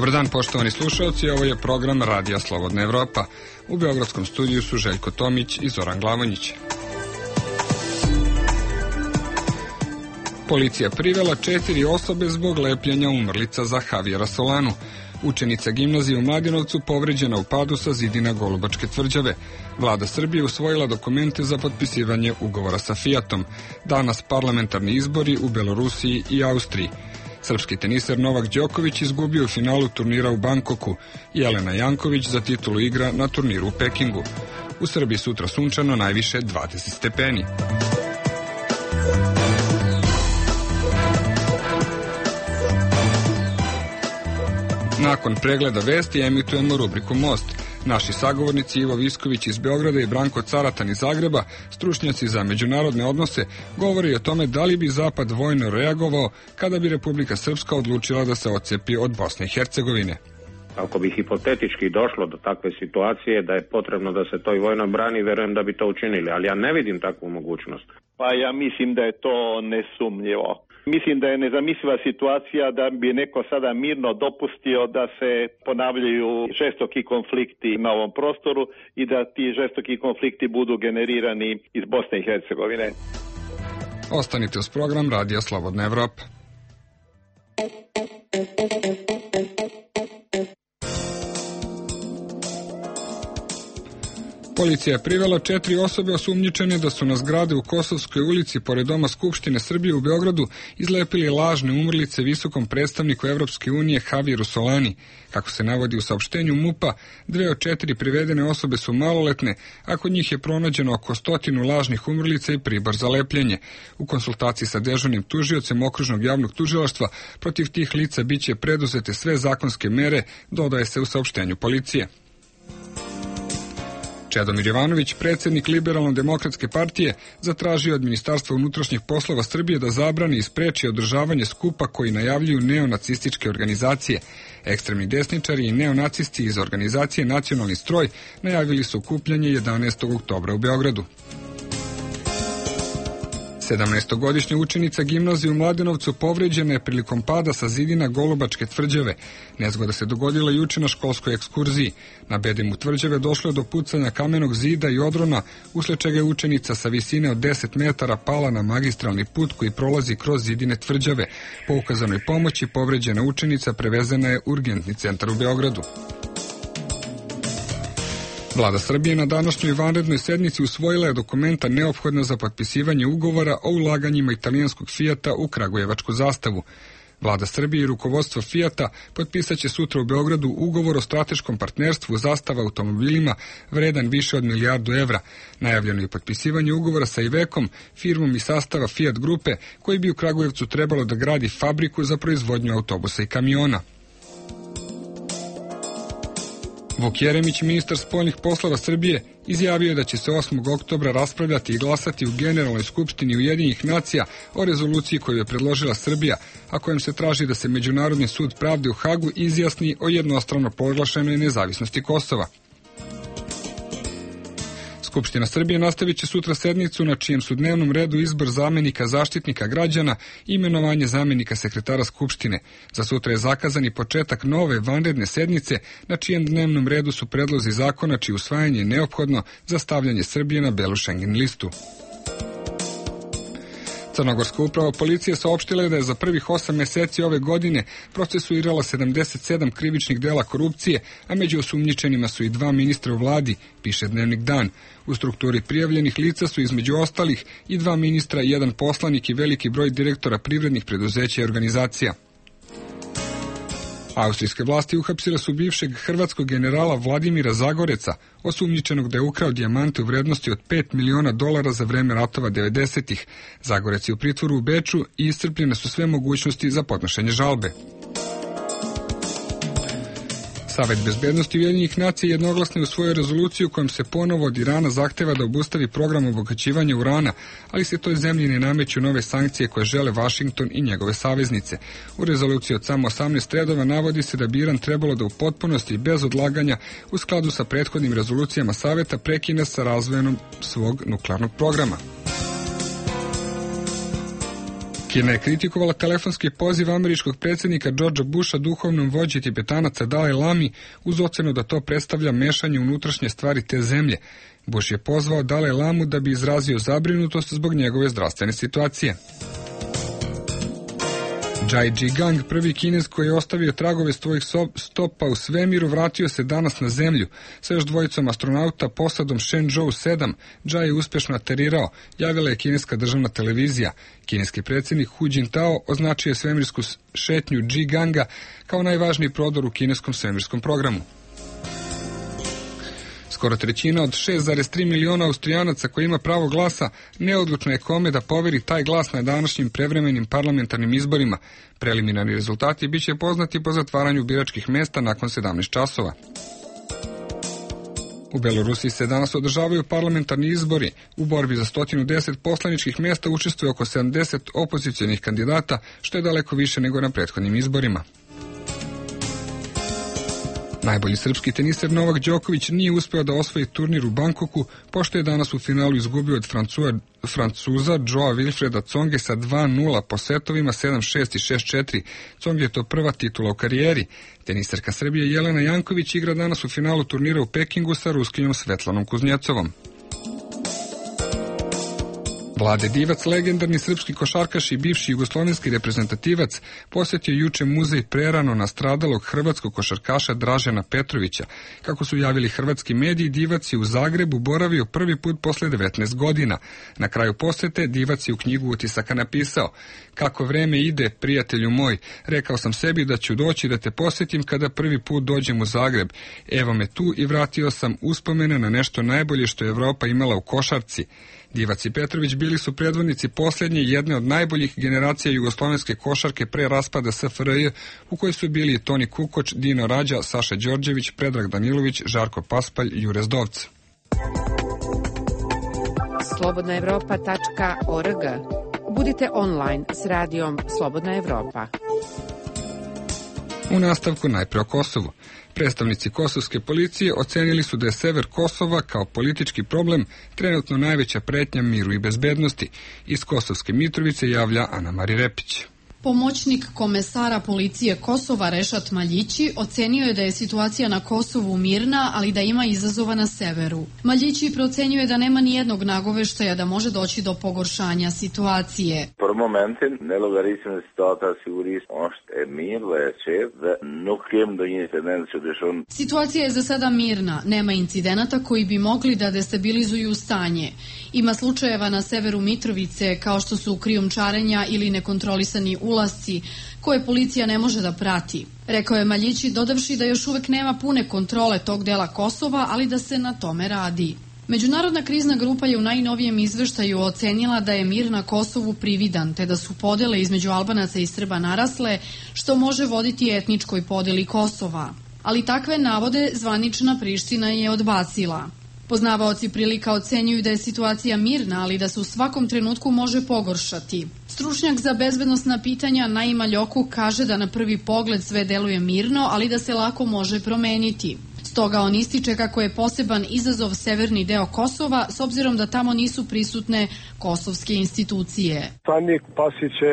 Dobar dan, poštovani slušalci, ovo je program Radija Slobodna Evropa. U beogradskom studiju su Željko Tomić i Zoran Glavonjić. Policija privela 4 osobe zbog lepljenja umrlica za Javijera Solanu. Učenica gimnazije u Mladenovcu povređena u padu sa zidina Golubačke tvrđave. Vlada Srbije usvojila dokumente za potpisivanje ugovora sa Fijatom. Danas parlamentarni izbori u Belorusiji i Austriji. Srpski teniser Novak Đoković izgubio u finalu turnira u Bankoku. Jelena Janković za titulu igra na turniru u Pekingu. U Srbiji sutra sunčano, najviše 20 stepeni. Nakon pregleda vesti emitujemo rubriku Most. Naši sagovornici Ivo Visković iz Beograda i Branko Caratan iz Zagreba, stručnjaci za međunarodne odnose, govori o tome da li bi Zapad vojno reagovao kada bi Republika Srpska odlučila da se odcepi od Bosne i Hercegovine. Ako bi hipotetički došlo do takve situacije da je potrebno da se to i vojno brani, verujem da bi to učinili, ali ja ne vidim takvu mogućnost. Pa ja mislim da je to nesumnjivo. Mislim da je nezamisliva situacija da bi neko sada mirno dopustio da se ponavljaju žestoki konflikti na ovom prostoru i da ti žestoki konflikti budu generirani iz Bosne i Hercegovine. Ostanite uz program Radija Slobodna Evropa. Policija je privela 4 osobe osumnjičene da su na zgrade u Kosovskoj ulici pored Doma Skupštine Srbije u Beogradu izlepili lažne umrlice visokom predstavniku Evropske unije Javijeru Solani. Kako se navodi u saopštenju MUP-a, 2 od 4 privedene osobe su maloletne, a kod njih je pronađeno oko 100 lažnih umrlica i pribor za lepljenje. U konsultaciji sa dežurnim tužiocem Okružnog javnog tužilaštva protiv tih lica biće preduzete sve zakonske mere, dodaje se u saopštenju policije. Čedomir Jovanović, predsjednik Liberalno-demokratske partije, zatražio od Ministarstva unutrašnjih poslova Srbije da zabrani i spreči održavanje skupa koji najavljuju neonacističke organizacije. Ekstremni desničari i neonacisti iz organizacije Nacionalni stroj najavili su okupljanje 11. oktobra u Beogradu. 17-godišnja učenica gimnazije u Mladenovcu povređena je prilikom pada sa zidina Golubačke tvrđave. Nezgoda se dogodila juče na školskoj ekskurziji. Na bedemu tvrđave došlo je do pucanja kamenog zida i odrona, usled čega je učenica sa visine od 10 metara pala na magistralni put koji prolazi kroz zidine tvrđave. Po ukazanoj pomoći povređena učenica prevezena je u urgentni centar u Beogradu. Vlada Srbije na današnjoj vanrednoj sednici usvojila je dokumenta neophodna za potpisivanje ugovora o ulaganjima italijanskog Fijata u Kragujevačku zastavu. Vlada Srbije i rukovodstvo Fijata potpisat će sutra u Beogradu ugovor o strateškom partnerstvu Zastava automobilima vredan više od milijardu evra. Najavljeno je potpisivanje ugovora sa Ivekom, firmom iz sastava Fiat grupe, koji bi u Kragujevcu trebalo da gradi fabriku za proizvodnju autobusa i kamiona. Vuk Jeremić, ministar spoljnih poslova Srbije, izjavio je da će se 8. oktobra raspravljati i glasati u Generalnoj skupštini Ujedinjenih nacija o rezoluciji koju je predložila Srbija, a kojom se traži da se Međunarodni sud pravde u Hagu izjasni o jednostrano proglašenoj nezavisnosti Kosova. Skupština Srbije nastavit će sutra sednicu na čijem su dnevnom redu izbor zamenika Zaštitnika građana i imenovanje zamenika sekretara Skupštine. Za sutra je zakazan i početak nove vanredne sednice na čijem dnevnom redu su predlozi zakona čije usvajanje je neophodno za stavljanje Srbije na belu Schengen listu. Crnogorska uprava policije saopštila je da je za prvih 8 meseci ove godine procesuirala 77 krivičnih dela korupcije, a među osumnjičenima su i 2 ministra u vladi, piše Dnevnik Dan. U strukturi prijavljenih lica su između ostalih i 2 ministra, 1 poslanik i veliki broj direktora privrednih preduzeća i organizacija. Austrijske vlasti uhapsile su bivšeg hrvatskog generala Vladimira Zagoreca, osumnjičenog da je ukrao dijamante u vrednosti od $5 miliona za vreme ratova 90-ih. Zagorec je u pritvoru u Beču i iscrpljene su sve mogućnosti za podnošenje žalbe. Savet bezbednosti Ujedinjenih nacija jednoglasno je usvojio rezoluciju kojom se ponovo od Irana zahteva da obustavi program obogaćivanja urana, ali se toj zemlji ne nameću nove sankcije koje žele Vašington i njegove saveznice. U rezoluciji od samo 18 redova navodi se da bi Iran trebalo da u potpunosti i bez odlaganja u skladu sa prethodnim rezolucijama Saveta prekine sa razvojem svog nuklearnog programa. Kina je kritikovala telefonski poziv američkog predsjednika Georgea Busha duhovnom vođi Tibetanaca Dalaj Lami uz ocenu da to predstavlja mešanje u unutrašnje stvari te zemlje. Bush je pozvao Dalaj Lamu da bi izrazio zabrinutost zbog njegove zdravstvene situacije. Jai Zhigang, prvi Kinez koji je ostavio tragove svojih stopa u svemiru, vratio se danas na zemlju. Sa još dvojicom astronauta posadom Shenzhou 7, Jai je uspešno aterirao, javila je kineska državna televizija. Kineski predsjednik Hu Jintao označio je svemirsku šetnju Zhiganga kao najvažniji prodor u kineskom svemirskom programu. Skoro trećina od 6,3 miliona Austrijanaca koji ima pravo glasa neodlučno je kome da poveri taj glas na današnjim prevremenim parlamentarnim izborima. Preliminarni rezultati biće poznati po zatvaranju biračkih mesta nakon 17 časova. U Belorusiji se danas održavaju parlamentarni izbori. U borbi za 110 poslaničkih mjesta učestvuje oko 70 opozicionih kandidata, što je daleko više nego na prethodnim izborima. Najbolji srpski teniser Novak Đoković nije uspeo da osvoji turnir u Bankoku, pošto je danas u finalu izgubio od Francuza Joa Wilfreda Tsonge sa 2-0 po setovima 7-6 i 6-4. Tsonge je to prva titula u karijeri. Teniserka Srbije Jelena Janković igra danas u finalu turnira u Pekingu sa Ruskinjom Svetlanom Kuznjecovom. Vlade Divac, legendarni srpski košarkaš i bivši jugoslovenski reprezentativac, posjetio juče muzej prerano nastradalog hrvatskog košarkaša Dražena Petrovića. Kako su javili hrvatski mediji, Divac je u Zagrebu boravio prvi put posle 19 godina. Na kraju posete Divac je u knjigu utisaka napisao: "Kako vreme ide, prijatelju moj, rekao sam sebi da ću doći da te posjetim kada prvi put dođem u Zagreb. Evo me tu i vratio sam uspomene na nešto najbolje što je Evropa imala u košarci." Divac i Petrović bili su predvodnici posljednje jedne od najboljih generacija jugoslovenske košarke pre raspada SFRJ, u kojoj su bili Toni Kukoč, Dino Rađa, Saša Đorđević, Predrag Danilović, Žarko Paspalj, Jure Zdovc. slobodnaevropa.org. Budite online s radijom Slobodna Evropa. U nastavku najpre o Kosovu. Predstavnici kosovske policije ocenili su da je sever Kosova kao politički problem trenutno najveća pretnja miru i bezbednosti. Iz Kosovske Mitrovice javlja Ana Mari Repić. Pomoćnik komesara policije Kosova Rešat Maljići ocenio je da je situacija na Kosovu mirna, ali da ima izazova na severu. Maljići procenjuje da nema ni jednog nagoveštaja da može doći do pogoršanja situacije. Por momentin, nelogaritmi situata sigurisht është e mirë dhe e qetë dhe nuk kem ndonjë incident që dëshon. Situacija je za sada mirna, nema incidenata koji bi mogli da destabilizuju stanje. Ima slučajeva na severu Mitrovice kao što su krijumčarenja ili nekontrolisani ulasci koje policija ne može da prati. Rekao je Maljići, dodavši da još uvek nema pune kontrole tog dela Kosova, ali da se na tome radi. Međunarodna krizna grupa je u najnovijem izveštaju ocenila da je mir na Kosovu prividan, te da su podele između Albanaca i Srba narasle, što može voditi etničkoj podeli Kosova. Ali takve navode zvanična Priština je odbacila. Poznavaoci prilika ocenjuju da je situacija mirna, ali da se u svakom trenutku može pogoršati. Stručnjak za bezbednosna pitanja Naima Ljoku kaže da na prvi pogled sve deluje mirno, ali da se lako može promeniti. Stoga on ističe kako je poseban izazov severni deo Kosova, s obzirom da tamo nisu prisutne kosovske institucije. Tani pasi će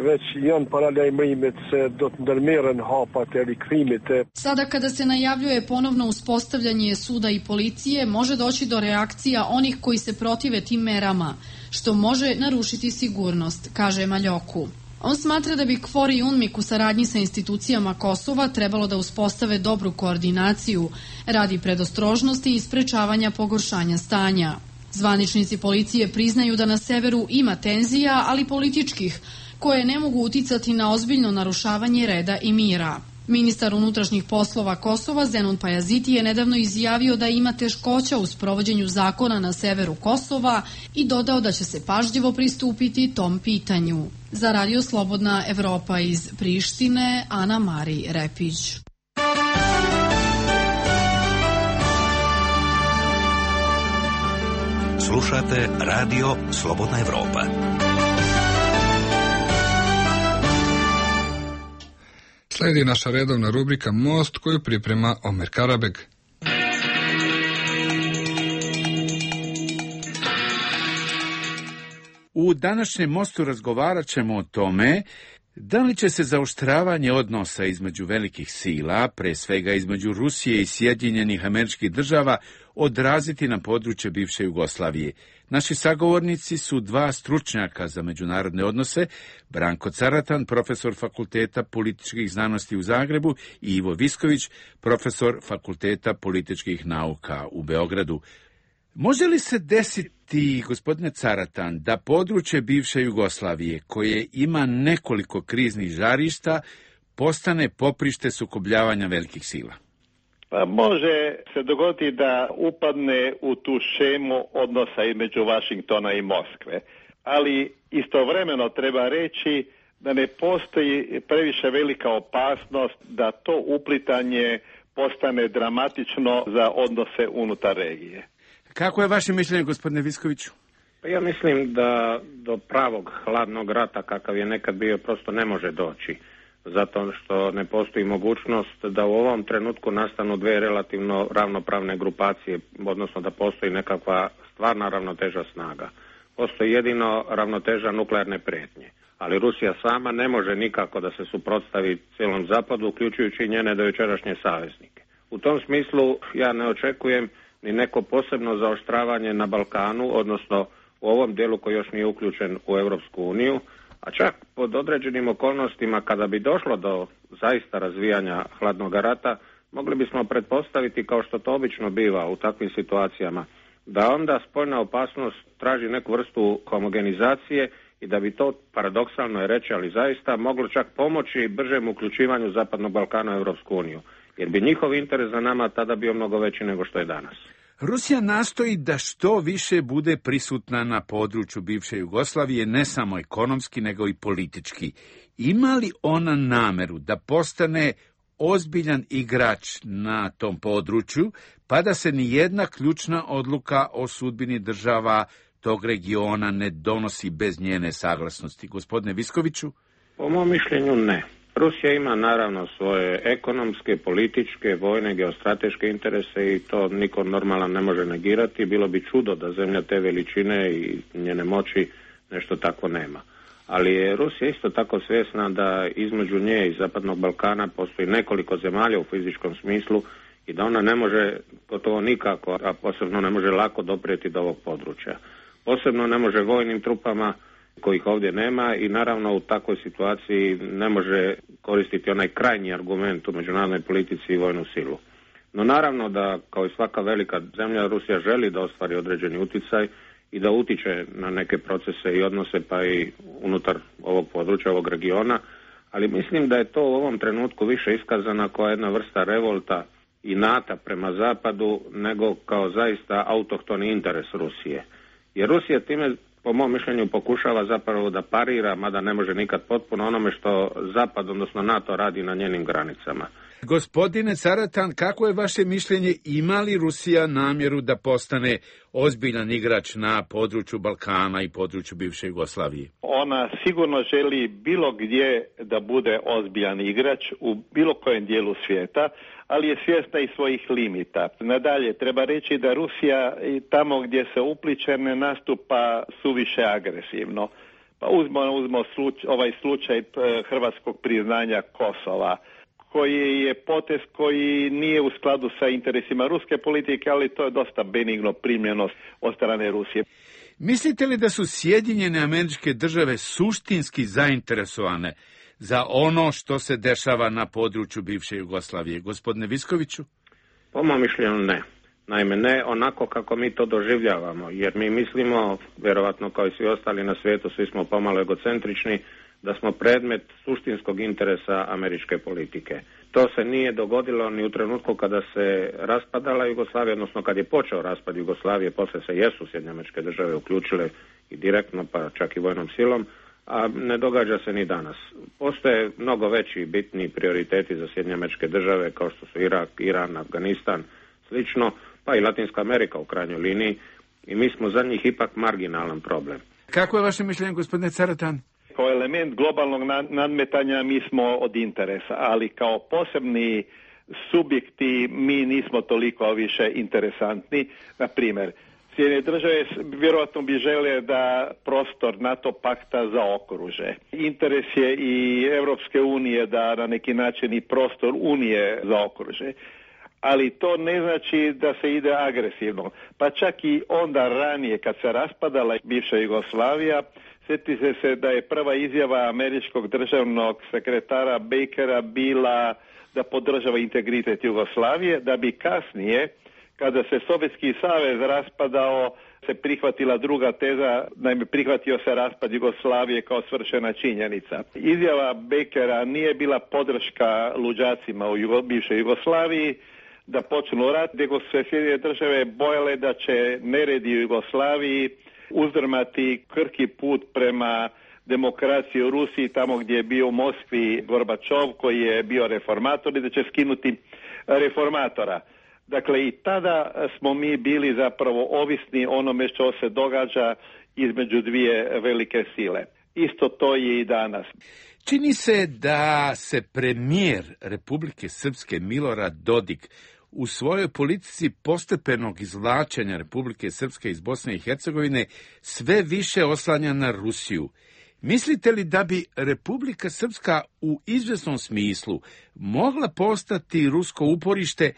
već janë paralajmërimet se do të ndërmerren hapat e rikthimit. Sada kada se najavljuje ponovno uspostavljanje suda i policije, može doći do reakcija onih koji se protive tim merama, što može narušiti sigurnost, kaže Maljoku. On smatra da bi KFOR i UNMIK u saradnji sa institucijama Kosova trebalo da uspostave dobru koordinaciju radi predostrožnosti i sprečavanja pogoršanja stanja. Zvaničnici policije priznaju da na severu ima tenzija, ali političkih, koje ne mogu uticati na ozbiljno narušavanje reda i mira. Ministar unutrašnjih poslova Kosova Zenun Pajaziti je nedavno izjavio da ima teškoća u sprovođenju zakona na severu Kosova i dodao da će se pažljivo pristupiti tom pitanju. Za Radio Slobodna Evropa iz Prištine, Ana Mari Repić. Slušate Radio Slobodna Evropa. Slijedi naša redovna rubrika Most koju priprema Omer Karabeg. U današnjem mostu razgovarat ćemo o tome da li će se zaoštravanje odnosa između velikih sila, pre svega između Rusije i Sjedinjenih Američkih Država, odraziti na područje bivše Jugoslavije. Naši sagovornici su dva stručnjaka za međunarodne odnose, Branko Caratan, profesor Fakulteta političkih znanosti u Zagrebu, i Ivo Visković, profesor Fakulteta političkih nauka u Beogradu. Može li se desiti, gospodine Caratan, da područje bivše Jugoslavije, koje ima nekoliko kriznih žarišta, postane poprište sukobljavanja velikih sila? Pa može se dogoditi da upadne u tu šemu odnosa između Vašingtona i Moskve, ali istovremeno treba reći da ne postoji previše velika opasnost da to uplitanje postane dramatično za odnose unutar regije. Kako je vaše mišljenje, gospodine Viskoviću? Pa ja mislim da do pravog hladnog rata kakav je nekad bio prosto ne može doći. Zato što ne postoji mogućnost da u ovom trenutku nastanu dve relativno ravnopravne grupacije, odnosno da postoji nekakva stvarna ravnoteža snaga. Postoji jedino ravnoteža nuklearne prijetnje. Ali Rusija sama ne može nikako da se suprotstavi cijelom zapadu, uključujući njene dojučerašnje saveznike. U tom smislu ja ne očekujem ni neko posebno zaoštravanje na Balkanu, odnosno u ovom dijelu koji još nije uključen u Europsku uniju, a čak pod određenim okolnostima kada bi došlo do zaista razvijanja hladnog rata, mogli bismo pretpostaviti, kao što to obično biva u takvim situacijama, da onda spoljna opasnost traži neku vrstu homogenizacije i da bi to, paradoksalno je reći, ali zaista moglo čak pomoći bržem uključivanju Zapadnog Balkana u Europsku uniju, jer bi njihov interes za nama tada bio mnogo veći nego što je danas. Rusija nastoji da što više bude prisutna na području bivše Jugoslavije, ne samo ekonomski, nego i politički. Ima li ona nameru da postane ozbiljan igrač na tom području, pa da se ni jedna ključna odluka o sudbini država tog regiona ne donosi bez njene saglasnosti? Gospodine Viskoviću? Po mom mišljenju ne. Rusija ima naravno svoje ekonomske, političke, vojne, geostrateške interese i to niko normalan ne može negirati. Bilo bi čudo da zemlja te veličine i njene moći nešto tako nema. Ali je Rusija isto tako svjesna da između nje i Zapadnog Balkana postoji nekoliko zemalja u fizičkom smislu i da ona ne može gotovo nikako, a posebno ne može lako doprijeti do ovog područja. Posebno ne može vojnim trupama kojih ovdje nema i naravno u takvoj situaciji ne može koristiti onaj krajnji argument u međunarodnoj politici i vojnu silu. No naravno da kao i svaka velika zemlja Rusija želi da ostvari određeni utjecaj i da utiče na neke procese i odnose pa i unutar ovog područja, ovog regiona, ali mislim da je to u ovom trenutku više iskazana kao jedna vrsta revolta i nata prema zapadu nego kao zaista autohtoni interes Rusije. Jer Rusija time po mom mišljenju pokušava zapravo da parira, mada ne može nikad potpuno, onome što Zapad, odnosno NATO, radi na njenim granicama. Gospodine Caratan, kako je vaše mišljenje, ima li Rusija namjeru da postane ozbiljan igrač na području Balkana i području bivše Jugoslavije? Ona sigurno želi bilo gdje da bude ozbiljan igrač u bilo kojem dijelu svijeta, ali je svjesna i svojih limita. Nadalje, treba reći da Rusija i tamo gdje se upliče ne nastupa suviše agresivno. Pa uzmo ovaj slučaj hrvatskog priznanja Kosova, koji je potez koji nije u skladu sa interesima ruske politike, ali to je dosta benigno primljeno od strane Rusije. Mislite li da su Sjedinjene Američke Države suštinski zainteresovane za ono što se dešava na području bivše Jugoslavije? Gospodine Viskoviću? Po mom mišljenju ne. Naime, ne onako kako mi to doživljavamo, jer mi mislimo, vjerovatno kao i svi ostali na svijetu, svi smo pomalo egocentrični, da smo predmet suštinskog interesa američke politike. To se nije dogodilo ni u trenutku kada se raspadala Jugoslavija, odnosno kad je počeo raspad Jugoslavije, poslije se jesu Sjedinjene Američke Države uključile i direktno, pa čak i vojnom silom, a ne događa se ni danas. Postoje mnogo veći i bitni prioriteti za Sjedinjene Američke Države, kao što su Irak, Iran, Afganistan, slično, pa i Latinska Amerika u krajnjoj liniji, i mi smo za njih ipak marginalan problem. Kako je vaše mišljenje, gospodine Caratan? Kao element globalnog nadmetanja mi smo od interesa, ali kao posebni subjekti mi nismo toliko više interesantni. Na primjer, Sjedinjene države vjerojatno bi žele da prostor NATO pakta zaokruže. Interes je i Europske unije da na neki način i prostor Unije zaokruže. Ali to ne znači da se ide agresivno. Pa čak i onda ranije kad se raspadala bivša Jugoslavija, sjetite se da je prva izjava američkog državnog sekretara Bakera bila da podržava integritet Jugoslavije, da bi kasnije, kada se Sovjetski savez raspadao, se prihvatila druga teza, naime prihvatio se raspad Jugoslavije kao svršena činjenica. Izjava Bakera nije bila podrška luđacima u bivšoj Jugoslaviji da počnu rat, nego se Sjedinjene države bojale da će neredi u Jugoslaviji uzdrmati krhki put prema demokraciji u Rusiji, tamo gdje je bio u Moskvi Gorbačov, koji je bio reformator, i da će skinuti reformatora. Dakle, i tada smo mi bili zapravo ovisni onome što se događa između dvije velike sile. Isto to je i danas. Čini se da se premijer Republike Srpske Milorad Dodik u svojoj politici postepenog izvlačenja Republike Srpske iz Bosne i Hercegovine sve više oslanja na Rusiju. Mislite li da bi Republika Srpska u izvjesnom smislu mogla postati rusko uporište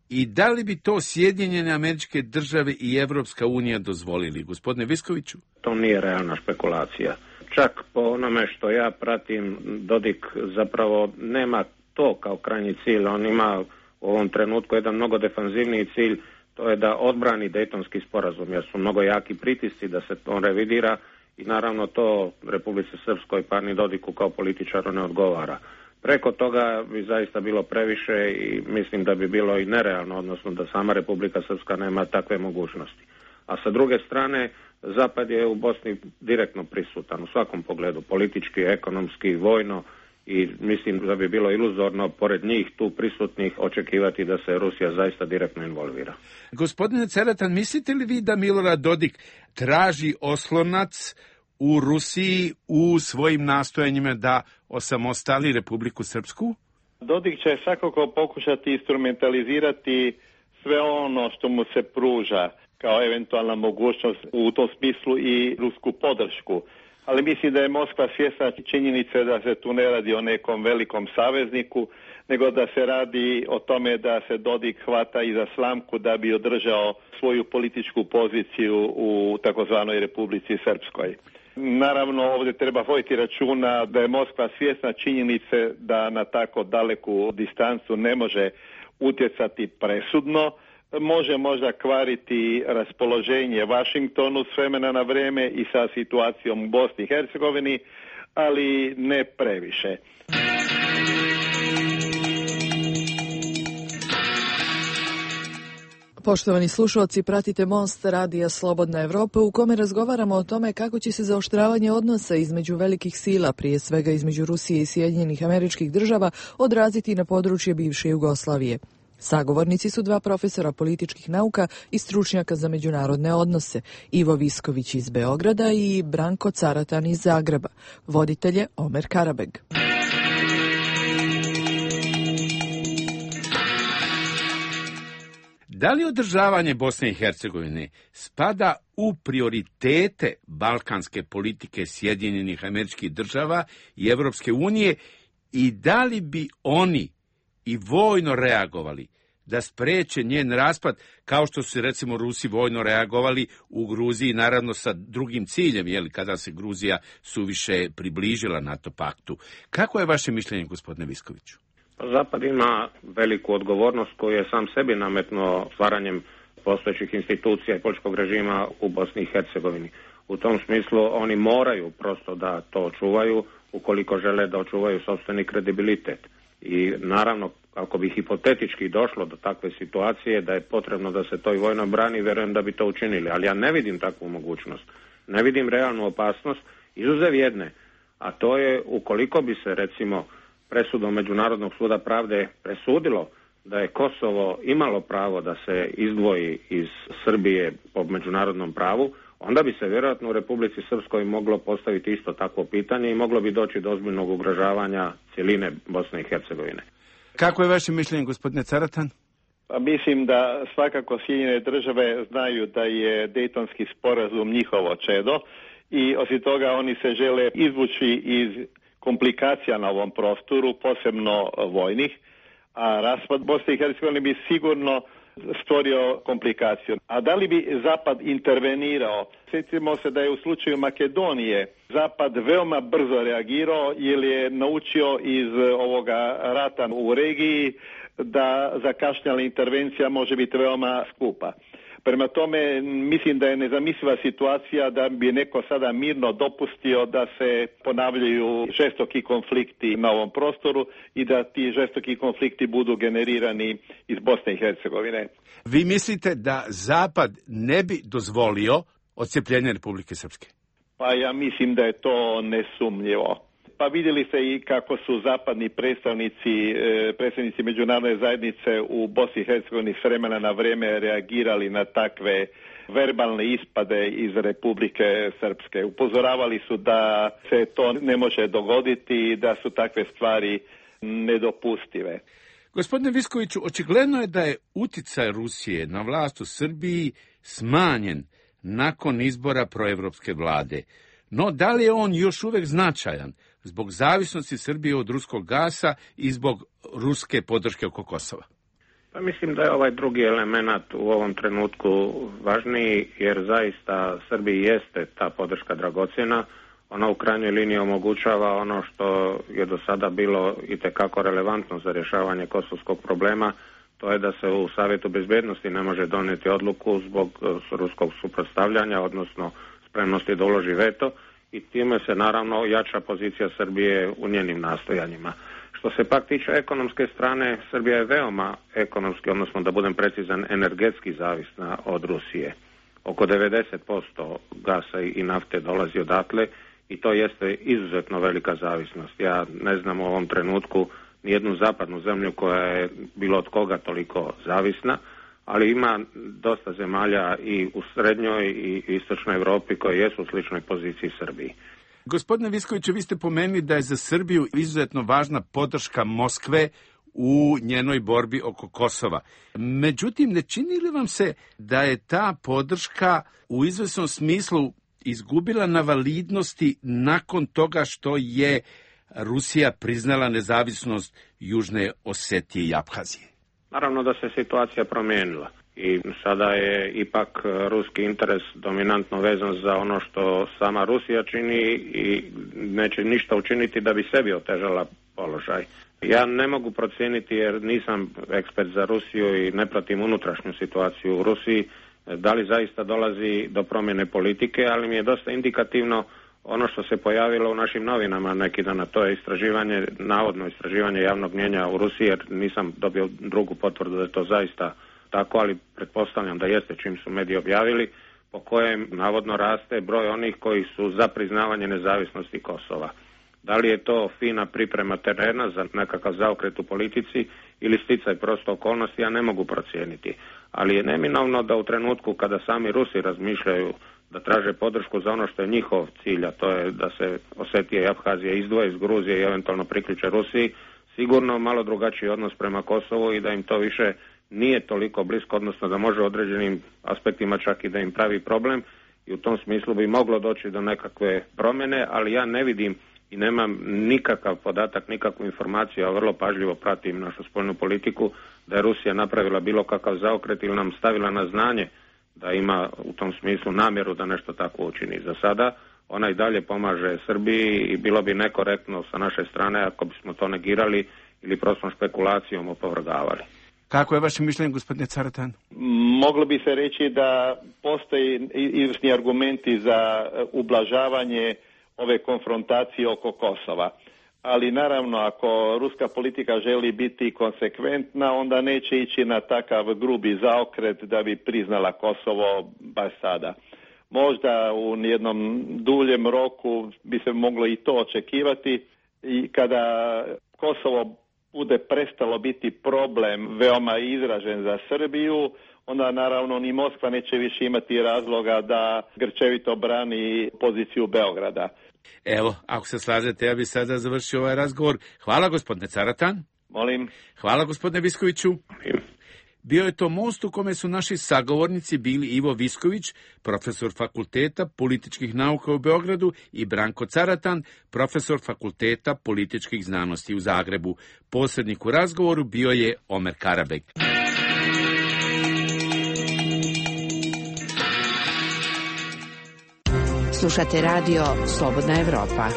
i da li bi to Sjedinjene Američke Države i Evropska unija dozvolili? Gospodine Viskoviću? To nije realna špekulacija. Čak po onome što ja pratim, Dodik zapravo nema to kao krajnji cilj. On ima u ovom trenutku jedan mnogo defanzivniji cilj, to je da odbrani Dejtonski sporazum, jer su mnogo jaki pritisci da se on revidira i naravno to Republici Srpskoj pa ni Dodiku kao političaru ne odgovara. Preko toga bi zaista bilo previše i mislim da bi bilo i nerealno, odnosno da sama Republika Srpska nema takve mogućnosti. A sa druge strane, Zapad je u Bosni direktno prisutan u svakom pogledu, politički, ekonomski, vojno, i mislim da bi bilo iluzorno pored njih tu prisutnih očekivati da se Rusija zaista direktno involvira. Gospodine Ceratan, mislite li vi da Milorad Dodik traži oslonac u Rusiji u svojim nastojanjima da osamostali Republiku Srpsku? Dodik će svakako pokušati instrumentalizirati sve ono što mu se pruža kao eventualna mogućnost, u tom smislu i rusku podršku. Ali mislim da je Moskva svjesna činjenice da se tu ne radi o nekom velikom savezniku, nego da se radi o tome da se Dodik hvata i za slamku da bi održao svoju političku poziciju u takozvanoj Republici Srpskoj. Naravno, ovdje treba voditi računa da je Moskva svjesna činjenice da na tako daleku distancu ne može utjecati presudno, može možda kvariti raspoloženje Vašingtonu s vremena na vrijeme i sa situacijom u Bosni i Hercegovini, ali ne previše. Poštovani slušalci, pratite Most Radija Slobodna Evropa u kome razgovaramo o tome kako će se zaoštravanje odnosa između velikih sila, prije svega između Rusije i Sjedinjenih Američkih Država, odraziti na područje bivše Jugoslavije. Sagovornici su dva profesora političkih nauka i stručnjaka za međunarodne odnose, Ivo Visković iz Beograda i Branko Caratan iz Zagreba. Voditelj je Omer Karabeg. Da li održavanje Bosne i Hercegovine spada u prioritete balkanske politike Sjedinjenih Američkih Država i Evropske unije i da li bi oni i vojno reagovali da spreče njen raspad, kao što su recimo Rusi vojno reagovali u Gruziji, naravno sa drugim ciljem, kada se Gruzija suviše približila NATO paktu. Kako je vaše mišljenje, gospodine Viskoviću? Zapad ima veliku odgovornost koju je sam sebi nametnuo stvaranjem postojećih institucija i političkog režima u Bosni i Hercegovini. U tom smislu oni moraju prosto da to očuvaju ukoliko žele da očuvaju sopstveni kredibilitet. I naravno, ako bi hipotetički došlo do takve situacije da je potrebno da se to i vojno brani, vjerujem da bi to učinili. Ali ja ne vidim takvu mogućnost. Ne vidim realnu opasnost, izuzev jedne. A to je ukoliko bi se recimo presudom Međunarodnog suda pravde presudilo da je Kosovo imalo pravo da se izdvoji iz Srbije po međunarodnom pravu, onda bi se vjerojatno u Republici Srpskoj moglo postaviti isto takvo pitanje i moglo bi doći do ozbiljnog ugrožavanja cjeline Bosne i Hercegovine. Kako je vaše mišljenje, gospodine Caratan? Mislim da svakako Sjedinjene države znaju da je Dejtonski sporazum njihovo čedo i osim toga oni se žele izvući iz komplikacija na ovom prostoru, posebno vojnih, a raspad Bosne i Hercegovine bi sigurno stvorio komplikaciju. A da li bi Zapad intervenirao? Sjetimo se da je u slučaju Makedonije Zapad veoma brzo reagirao jer je naučio iz ovoga rata u regiji da zakašnjala intervencija može biti veoma skupa. Prema tome, mislim da je nezamisliva situacija da bi neko sada mirno dopustio da se ponavljaju žestoki konflikti na ovom prostoru i da ti žestoki konflikti budu generirani iz Bosne i Hercegovine. Vi mislite da Zapad ne bi dozvolio odcepljenje Republike Srpske? Pa ja mislim da je to nesumnjivo. Pa vidjeli ste i kako su zapadni predstavnici međunarodne zajednice u Bosni i Hercegovini s vremena na vrijeme reagirali na takve verbalne ispade iz Republike Srpske. Upozoravali su da se to ne može dogoditi i da su takve stvari nedopustive. Gospodine Viskoviću, očigledno je da je uticaj Rusije na vlast u Srbiji smanjen nakon izbora proevropske vlade. No, da li je on još uvijek značajan zbog zavisnosti Srbije od ruskog gasa i zbog ruske podrške oko Kosova? Pa mislim da je ovaj drugi element u ovom trenutku važniji, jer zaista Srbiji jeste ta podrška dragocjena. Ona u krajnjoj liniji omogućava ono što je do sada bilo itekako relevantno za rješavanje kosovskog problema, to je da se u Savjetu bezbednosti ne može donijeti odluku zbog ruskog suprotstavljanja, odnosno spremnosti da uloži veto, i time se naravno jača pozicija Srbije u njenim nastojanjima. Što se pak tiče ekonomske strane, Srbija je veoma ekonomski, odnosno da budem precizan, energetski zavisna od Rusije. Oko 90% gasa i nafte dolazi odatle i to jeste izuzetno velika zavisnost. Ja ne znam u ovom trenutku nijednu zapadnu zemlju koja je bilo od koga toliko zavisna, ali ima dosta zemalja i u srednjoj i istočnoj Europi koje jesu u sličnoj poziciji Srbiji. Gospodine Viskoviću, vi ste pomenuli da je za Srbiju izuzetno važna podrška Moskve u njenoj borbi oko Kosova. Međutim, ne čini li vam se da je ta podrška u izvesnom smislu izgubila na validnosti nakon toga što je Rusija priznala nezavisnost Južne Osetije i Aphazije? Naravno da se situacija promijenila i sada je ipak ruski interes dominantno vezan za ono što sama Rusija čini i neće ništa učiniti da bi sebi otežala položaj. Ja ne mogu procijeniti jer nisam ekspert za Rusiju i ne pratim unutrašnju situaciju u Rusiji, da li zaista dolazi do promjene politike, ali mi je dosta indikativno ono što se pojavilo u našim novinama neki dan, to je istraživanje, navodno istraživanje javnog mnijenja u Rusiji, jer nisam dobio drugu potvrdu da je to zaista tako, ali pretpostavljam da jeste čim su mediji objavili, po kojem navodno raste broj onih koji su za priznavanje nezavisnosti Kosova. Da li je to fina priprema terena za nekakav zaokret u politici ili sticaj prosto okolnosti, ja ne mogu procijeniti. Ali je neminovno da u trenutku kada sami Rusi razmišljaju da traže podršku za ono što je njihov cilj, a to je da se Osetija i Aphazija izdvoje iz Gruzije i eventualno priključe Rusiji, sigurno malo drugačiji odnos prema Kosovu i da im to više nije toliko blisko, odnosno da može u određenim aspektima čak i da im pravi problem i u tom smislu bi moglo doći do nekakve promjene, ali ja ne vidim i nemam nikakav podatak, nikakvu informaciju, a vrlo pažljivo pratim našu spoljnu politiku, da je Rusija napravila bilo kakav zaokret ili nam stavila na znanje da ima u tom smislu namjeru da nešto tako učini. Za sada ona i dalje pomaže Srbiji i bilo bi nekorektno sa naše strane ako bismo to negirali ili prostom špekulacijom opovrgavali. Kako je vaše mišljenje, gospodine Caratan? Moglo bi se reći da postoji izvrsni argumenti za ublažavanje ove konfrontacije oko Kosova. Ali naravno, ako ruska politika želi biti konsekventna, onda neće ići na takav grubi zaokret da bi priznala Kosovo baš sada. Možda u jednom duljem roku bi se moglo i to očekivati i kada Kosovo bude prestalo biti problem veoma izražen za Srbiju, onda naravno ni Moskva neće više imati razloga da grčevito brani poziciju Beograda. Evo, ako se slažete, ja bih sada završio ovaj razgovor. Hvala, gospodine Caratan. Molim. Hvala, gospodine Viskoviću. Bio je to most u kome su naši sagovornici bili Ivo Visković, profesor Fakulteta političkih nauka u Beogradu, i Branko Caratan, profesor Fakulteta političkih znanosti u Zagrebu. Posrednik u razgovoru bio je Omer Karabek. Slušate radio Slobodna Evropa.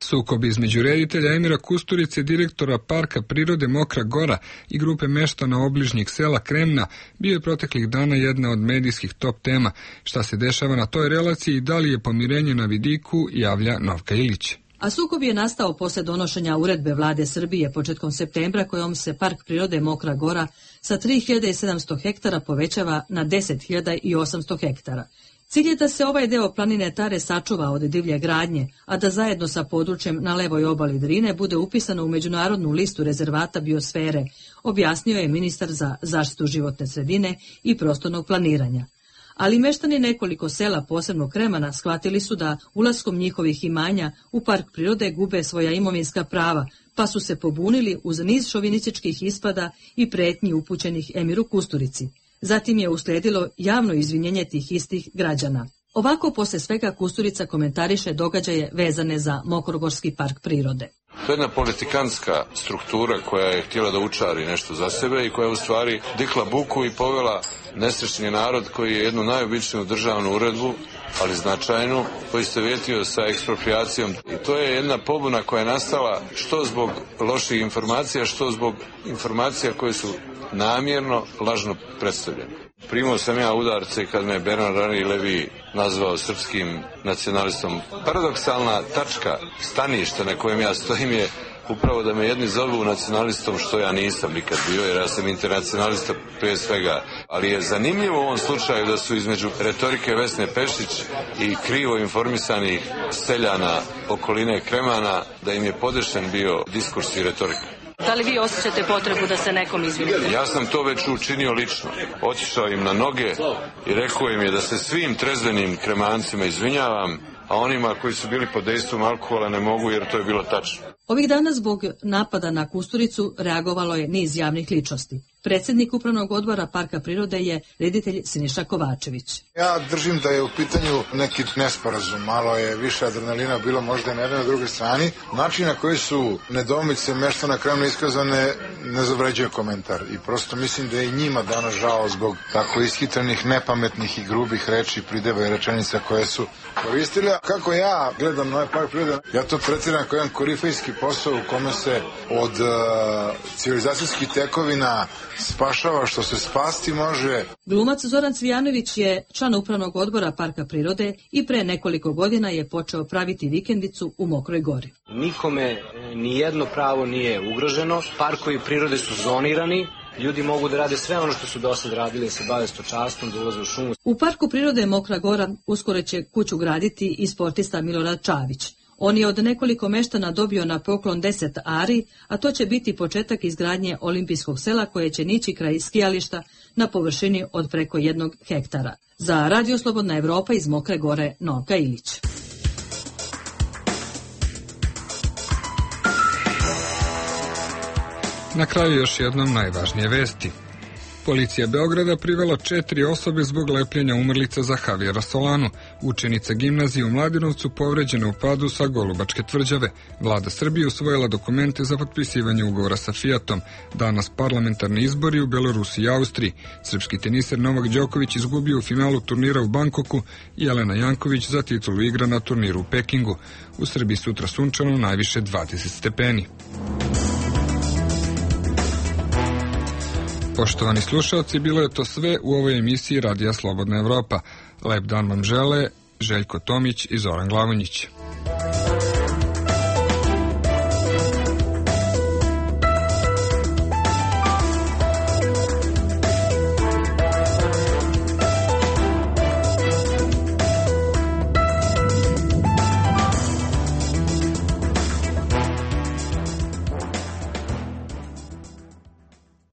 Sukob između reditelja Emira Kusturice, direktora Parka prirode Mokra Gora i grupe meštana obližnjeg sela Kremna bio je proteklih dana jedna od medijskih top tema. Šta se dešava na toj relaciji i da li je pomirenje na vidiku, javlja Novka Ilić. A sukob je nastao posle donošenja uredbe vlade Srbije početkom septembra, kojom se Park prirode Mokra Gora sa 3700 hektara povećava na 10.800 hektara. Cilj je da se ovaj deo planine Tare sačuva od divlje gradnje, a da zajedno sa područjem na levoj obali Drine bude upisano u međunarodnu listu rezervata biosfere, objasnio je ministar za zaštitu životne sredine i prostornog planiranja. Ali meštani nekoliko sela, posebno Kremana, shvatili su da ulaskom njihovih imanja u park prirode gube svoja imovinska prava, pa su se pobunili uz niz šovinističkih ispada i pretnji upućenih Emiru Kusturici. Zatim je usledilo javno izvinjenje tih istih građana. Ovako posle svega Kusturica komentariše događaje vezane za Mokrogorski park prirode. To je jedna politikantska struktura koja je htjela da učari nešto za sebe i koja je u stvari dikla buku i povela nesrećni narod koji je jednu najobičniju državnu uredbu, ali značajnu, poistovjetio sa eksproprijacijom. I to je jedna pobuna koja je nastala što zbog loših informacija, što zbog informacija koje su namjerno lažno predstavljene. Primao sam ja udarce kad me Bernard Henri Lévy nazvao srpskim nacionalistom. Paradoksalna tačka staništa na kojem ja stojim je upravo da me jedni zovu nacionalistom, što ja nisam nikad bio, jer ja sam internacionalista prije svega. Ali je zanimljivo u ovom slučaju da su između retorike Vesne Pešić i krivo informisanih seljana okoline Kremana, da im je podešen bio diskurs i retorika. Da li vi osjećate potrebu da se nekom izvinite? Ja sam to već učinio lično. Otišao im na noge i rekao im je da se svim trezvenim Kremancima izvinjavam, a onima koji su bili pod dejstvom alkohola ne mogu, jer to je bilo tačno. Ovih dana zbog napada na Kusturicu reagovalo je niz javnih ličnosti. Predsjednik upravnog odbora Parka prirode je reditelj Siniša Kovačević. Ja držim da je u pitanju neki nesporazum, malo je više adrenalina bilo možda na jednoj na drugoj strani. Način na koji su nedoumice meštana Kremna iskazane ne zavređuje komentar i prosto mislim da je i njima danas žao zbog tako ishitrenih, nepametnih i grubih reči, prideva i rečenica koje su koristili. Kako ja gledam na ovaj Park prirode, ja to tretiram kao jedan korifejski posao u kome se od civilizacijskih tekovina spašava što se spasti može. Glumac Zoran Cvijanović je član upravnog odbora Parka prirode i pre nekoliko godina je počeo praviti vikendicu u Mokroj Gori. Nikome nijedno pravo nije ugroženo, parkovi prirode su zonirani, ljudi mogu da rade sve ono što su do sad radili, da se bave stočarstvom, da ulaze u šumu. U Parku prirode Mokra Gora uskoro će kuću graditi i sportista Milorad Čavić. On je od nekoliko meštana dobio na poklon 10 ari, a to će biti početak izgradnje olimpijskog sela koje će nići kraj skijališta na površini od preko 1 hektara. Za Radio Slobodna Evropa iz Mokre Gore, Novka Ilić. Na kraju još jednom najvažnije vesti. Policija Beograda privela 4 osobe zbog lepljenja umrlica za Javijera Solanu. Učenica gimnazije u Mladenovcu povređena u padu sa Golubačke tvrđave. Vlada Srbije usvojila dokumente za potpisivanje ugovora sa Fiatom. Danas parlamentarni izbori u Belorusiji i Austriji. Srpski teniser Novak Đoković izgubio u finalu turnira u Bankoku i Jelena Janković za titulu igra na turniru u Pekingu. U Srbiji sutra sunčano, najviše 20 stepeni. Poštovani slušalci, bilo je to sve u ovoj emisiji Radija Slobodna Evropa. Lep dan vam žele Željko Tomić i Zoran Glavonjić.